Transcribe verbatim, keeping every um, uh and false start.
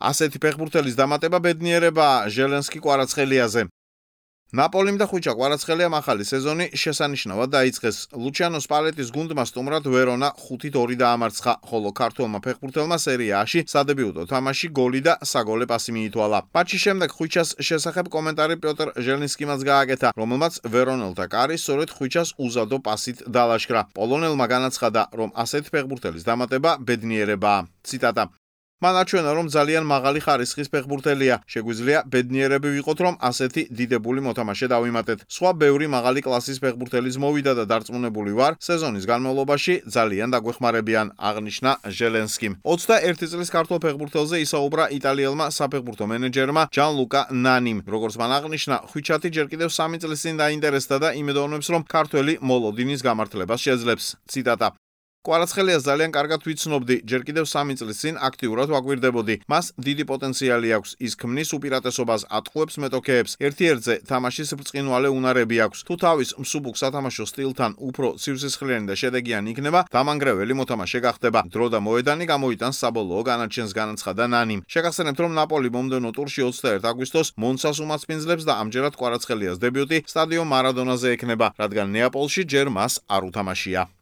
ასეთი ფეხბურთელის დამატება ბედნიერებაა ჟელენსკი კვარაცხელიაზე. ნაპოლიმ და ხვიჩა კვარაცხელიამ ახალი სეზონი შესანიშნავად დაიწყეს. ლუჩიანო სპალეტის გუნდმა სტუმრად ვერონა ხუთით ორი დაამარცხა, ხოლო ქართველმა ფეხბურთელმა სერია A-ში სადებიუტო თამაში გოლი და საგოლე პასი მიითვალა. მატჩის შემდეგ ხვიჩას შესახებ კომენტარი პიოტრ ჟელენსკიმაც გააკეთა, რომელმაც ვერონელთა კარი სწორედ ხვიჩას უზადო პასით დალაშქრა. პოლონელმა განაცხადა, რომ ასეთ ფეხბურთელის დამატება ბედნიერებაა. ციტატა: მან აჩვენა, რომ ძალიან მაღალი ხარისხის ფეხბურთელია. შეგვიძლია ბედნიერები ვიყოთ, რომ ასეთი დიდებული მოთამაშე დავიმატეთ. სხვა ბევრი მაღალი კლასის ფეხბურთელის მოვიდა და დარწმუნებული ვარ, სეზონის განმავლობაში ძალიან დაგვეხმარებიან, აღნიშნა ჟელენსკიმ. ოცდაერთი წლის ქართველ ფეხბურთელზე ისაუბრა იტალიელმა საფეხბურთო მენეჯერმა ჯანლუკა ნანიმ. როგორც მან აღნიშნა, ხვიჩათი ჯერ კიდევ სამი წლის წინ დაინტერესდა და იმედოვნებს, რომ ქართველი მოლოდინის გამართლებას შეძლებს. ციტატა: კვარაცხელიას ძალიან კარგად ვიცნობდი, ჯერ კიდევ სამი წლის წინ აქტიურად ვაკვირდებოდი. მას დიდი პოტენციალი აქვს, ის ქმნის უპირატესობას, ატყუებს მეტოქეებს, ერთ-ერთზე თამაშის ბრწყინვალე უნარები აქვს. თუ თავის მსუბუქ სათამაშო სტილთან უფრო სივსისხლიანი და შედეგიანი იქნება, დამანგრეველი მოთამაშე გახდება. დრო და მოედანი გამოიტანს საბოლოო განაჩენს, განაცხადა ნანიმ. შეგახსენებთ, რომ ნაპოლი მომდევნო ტურში ოცდაერთი აგვისტოს მონცას უმასპინძლებს და ამჯერად კვარაცხელიას დებიუტი სტადიონ მარადონაზე ექნება, რადგან ნეაპოლში ჯერ მას არ უთამაშია.